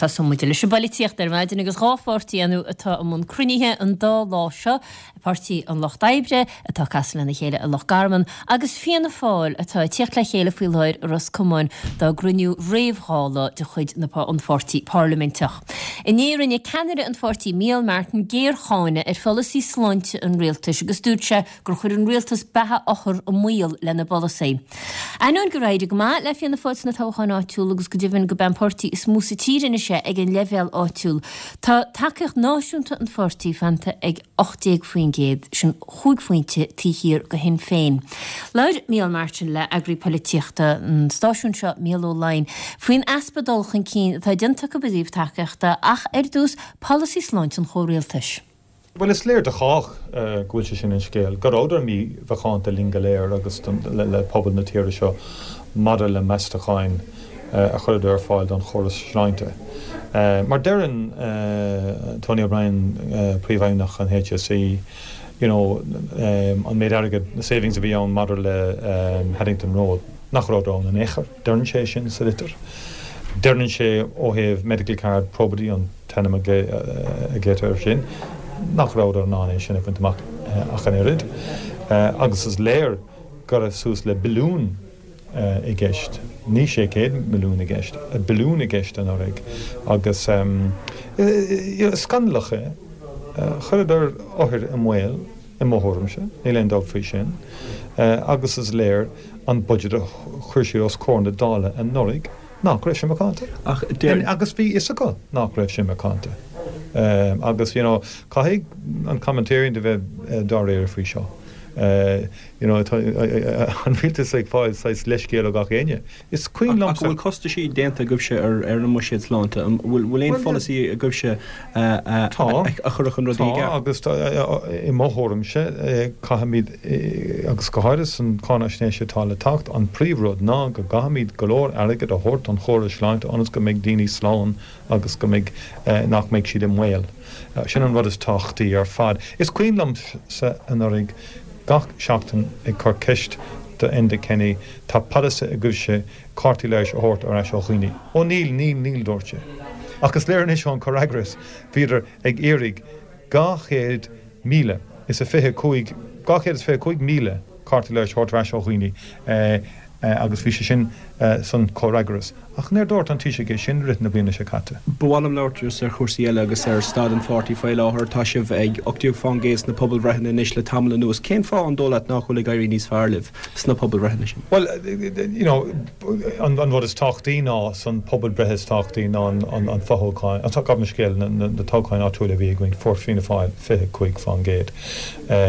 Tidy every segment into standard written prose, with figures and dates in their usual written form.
Tosóidh muid leis an bpolaitíocht ar maidin agus 2 pháirtí ann atá i mbun cruinnithe an dá lá seo, Páirtí an Lucht Oibre atá ag casadh lena chéile i Loch Garman agus Fianna Fáil atá ag tíocht le chéile faoi láthair i Ros Comáin dá gcruinniú réamh-Dhála de chuid na an pháirtí parlaiminteach. Inné rinne ceannaire an pháirtí Micheál Martin géarcháineadh ar pholasaí sláinte an rialtais agus dúirt sé gur chuir an rialtas beatha othar i mbaol lena bpolasaí. Ainneoin gur éirigh go maith le Fianna Fáil sna toghcháin áitiúla agus go deimhin gurb é an páirtí is mó sa tír anois é ag an leibhéal áitiúil, tá tacaíocht náisiúnta an pháirtí fanta ag 18%, sin chúig phointe taobh thiar de Shinn Féin. Labhair Micheál Martin le eagraí polaitíochta an stáisiúin seo, Mícheál Ó Laighin, faoin easpa dul chun cinn atá déanta acu i dtaobh tacaíochta ach, ar dtús, polasaí sláinte an chomhrialtais. Bhuel, is léir do chách go bhfuil sé sin an scéal, go rabhadar mímhacánta linn go léir agus le pobal na tíre seo maidir le meastacháin a chuireadar ar fáil don chóras sláinte. Mar deireann Tony O'Brien, Príomhfheidhmeannach an HSE, you know, an méid airgid, na savings a bhí ann maidir le Haddington Road, nach rabhadar ann in aon chor. Deireann sé sin sa litir. Deireann sé ó thaobh medical card probity, an t-ainm a glaoitear air sin, nach rabhadar in ann é sin a bhaint amach ach an oiread. Agus is léir go raibh suas le billiún i gceist, ní 600 milliún i gceist, billiún i gceist anuraidh. Agus is scannalach é. Chuireadar othair i mbaol, i mo thuairimse, níl aon dabht faoi sin. Agus is léir an budget a chuir siad os comhair na Dála anuraidh, nach raibh sé macánta. Ach deir. Agus bhí fhios acu nach raibh sé macánta. Agus, you know, caithfidh an commentarian a bheith dáiríre faoi seo. You know, tá an rialtas ag fáil saghas leithscéal ó gach éinne. Is cuimhin liomsa. Ach an bhfuil costaisí déanta agaibhse ar an mbuiséad sláinte? An bhfuil aon pholasaí agaibhse a chuirfeadh an rudaí i gceart? Tá, agus i mo thuairimse, caithfimid, agus go háirithe san cháinaisnéis atá le teacht, an príomhrud ná go gcaithfimid go leor airgid a thabhairt don chóras sláinte ionas go mbeidh daoine slán agus go mbeidh, nach mbeidh siad i mbaol. Sin an rud is tábhachtaí ar fad. Is cuimhin liomsa anuraidh gach seachtain ag cur ceist do Enda Kenny, tá polasaí agaibhse cártaí leighis a thabhairt ar ais ó dhaoine. Ó níl, níl, níl, dúirt sé. Ach is léir anois ón comhfhreagras, bhíodar ag iarraidh 225,000, 225,000 cárta leighis a thabhairt ar ais ó dhaoine agus bhí sé sin san comhfhreagras. Ach níor dúirt an Taoiseach é sin i rith na bliana seo caite. Ba mhaith liom labhairt just ar chúrsaí eile agus ar staid an pháirtí faoi láthair. Tá sibh ag 18% sna pobalbhreitheanna anois le tamall anuas. Cén fáth an dóigh leat nach bhfuil ag éirí níos fearr libh sna pobalbhreitheanna sin? Bhuel, you know, an rud is tábhachtaí ná san pobalbhreith is tábhachtaí ná an fothoghchán, gabh mo leithscéal, na toghcháin áitiúla a bhí againn, fuair Fianna Fáil 25%.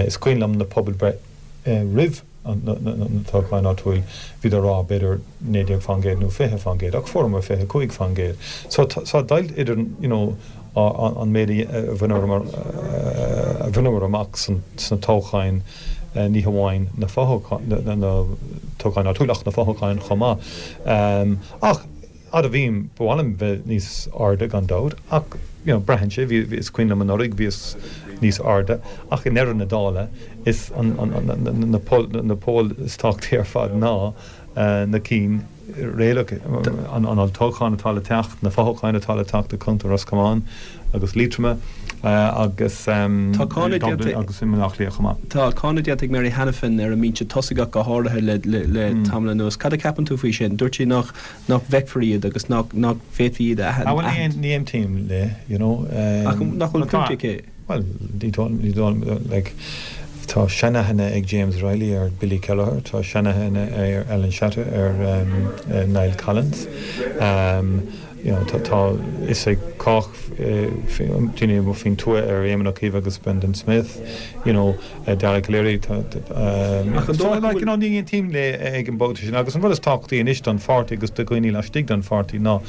Is cuimhin liom na pobalbhreith roimh na toghcháin áitiúil, bhíodar ag rá b'fhéidir 19% nó 20% ach fuaireamar 25%. So tá deighilt idir, you know, an méid a bhaineamar amach sna toghcháin, ní hamháin na toghcháin áitiúil ach na fothoghcháin chomh maith. Ach admhaím, ba mhaith liom bheith níos airde gan dabht ach you know braitheann sé, bhí, is cuimhin liom anuraidh bhíos níos airde ach i ndeireadh na dála is na poll is tábhachtaí ar fad ná na cinn réalach, an olltoghchán atá le teacht, na fothoghcháin atá le teacht i gContae Ros Comáin agus Liatroma agus Dublin agus i mBaile Átha Cliath chomh maith. Tá cáineadh déanta ag Mary Hanafin ar an mbinse tosaigh ach go háirithe le tamall anuas. Cad a cheapann tú faoi sin? Dúirt sí nach bhfeicfear iad agus nach bhféadfaí iad a aithint. Ní aontaím léi, you know. Ach nach bhfuil pointe aici? Bhuel, ní dóigh, like, tá seanaithne ag James Reilly ar Billy Kelleher, tá seanaithne ar Alan Shatter ar Niall Collins, you know, tá fhios ag cách, daoine amuigh faoin tuath ar Éamon Ó Cuív agus Brendan Smith, you know, Dara Calleary, tá, so, like, you know, ní aontaím léi ag an bpointe sin agus an rud is tábhachtaí anois don pháirtí agus do dhaoine laistigh den pháirtí ná,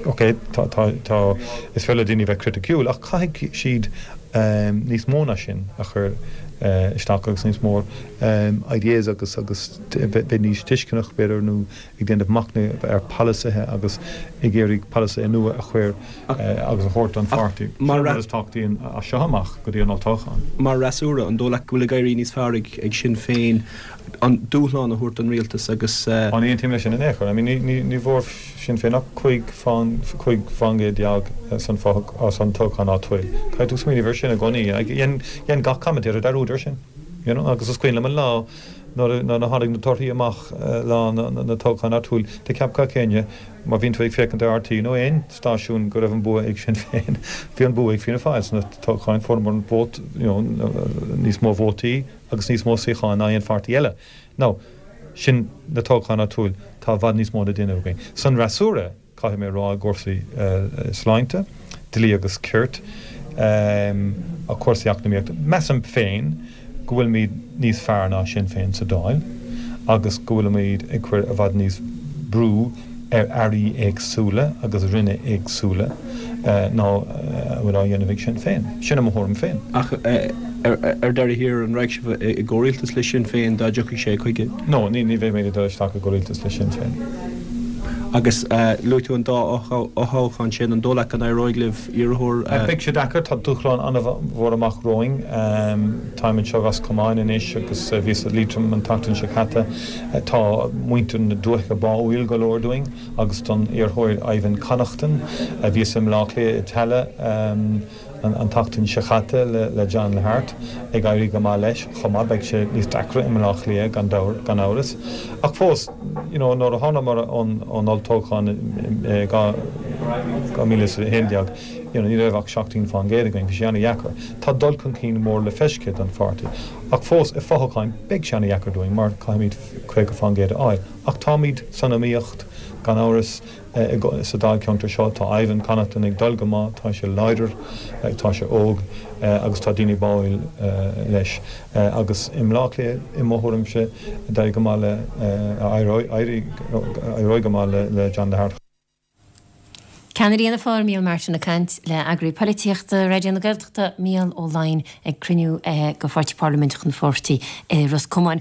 Ok, tá, tá, tá, is féidir le daoine bheith criticiúil ach caithfidh siad níos mó ná sin a chur. isteach agus níos mó ideas agus agus bheith níos tuisceanach b'fhéidir nó ag déanamh machnaimh ar pholasaithe agus ag iarraidh polasaithe nua a chur agus a thabhairt don pháirtí. Sin an rud is tábhachtaí as seo amach go dtí an olltoghchán. Mar fhreasúra, an dóigh leat go bhfuil ag éirí níos fearr ag Sinn Féin an dúshlán a thabhairt don rialtas agus. Ní aontaím leis sin in aon chor. I mean ní bhfuair Sinn Féin ach 15 fán gcéad san san toghchán áitiúil. Caithfidh tú smaoineamh ar sin i gcónaí. Dhein gach commentator dearúd ar sin. You know agus is cuimhin liom an lá nuair a tháinig na torthaí amach lá na toghchán áitiúil, do cheap gach éinne, má bhíonn tú ag féachaint ar RTÉ nó aon stáisiún go raibh an bua ag Sinn Féin. Bhí an bua ag Fianna Fáil sna toghcháin, fuaireamar an vót, you know, níos mó vótaí agus níos mó suíocháin ná aon pháirtí eile. Now, sin na toghcháin áitiúil, tá i bhfad níos mó le déanamh againn. San fhreasúra, caithfidh mé a rá, i gcúrsaí sláinte, dlí agus cirt, cúrsaí eacnamaíochta, measaim féin go bhfuilimid níos fearr ná Sinn Féin sa Dáil agus go bhfuilimid ag cur i bhfad níos brú ar airí éagsúla agus ranna éagsúla ná a bhfuil á dhéanamh ag Sinn Féin. Sin mo thuairim féin. Ach ar deireadh thiar, an raghadh sibh i gcomhrialtas le Sinn Féin dá dtiocfadh sé chuige? No, ní bheidh mé ag dul isteach i gcomhrialtas le Sinn Féin. Agus luaigh tú an dá fhothoghchán sin, an dóigh leat go n-éireoidh libh iarrthóir a. Beidh sé deacair, tá dúshlán an-mhór amach romhainn. Táim anseo i Ros Comáin anois agus bhíos i Liatroim an tseachtain seo caite. Tá muintir na dúiche báúil go leor dúinn agus don iarrthóir Ivan Connaughton. Bhíos i mBleá Cliath i Tallaght an tseachtain seo caite le John Hart, ag éirí go maith leis chomh maith. Beidh sé níos deacra i mBleá Cliath gan amhras. Ach fós, you know, nuair a thánamar ón olltoghchán i 2011, you know, ní raibh ach 17% againn, bhí sé an-dheacair. Tá dul chun cinn mór le feiscint don pháirtí. Ach fós, i fothoghcháin, beidh sé an-dheacair dúinn mar caithfimid 50% a fháil. Ach táimid san iomaíocht, gan amhras. Sa Dáilcheantar seo tá Ivan Connaughton ag dul go maith, tá sé láidir, tá sé óg agus tá daoine báúil leis. Agus i mBleá Cliath, i mo thuairimse, d'éirigh go maith le, éireoidh go maith le John Hart. Ceannaire Fhianna Fáil, Micheál Martin ag caint le eagraí polaitíochta Raidió na Gaeltachta, Mícheál Ó Laighin ag cruinniú de pháirtí parlaiminteach an pháirtí i Ros Comáin.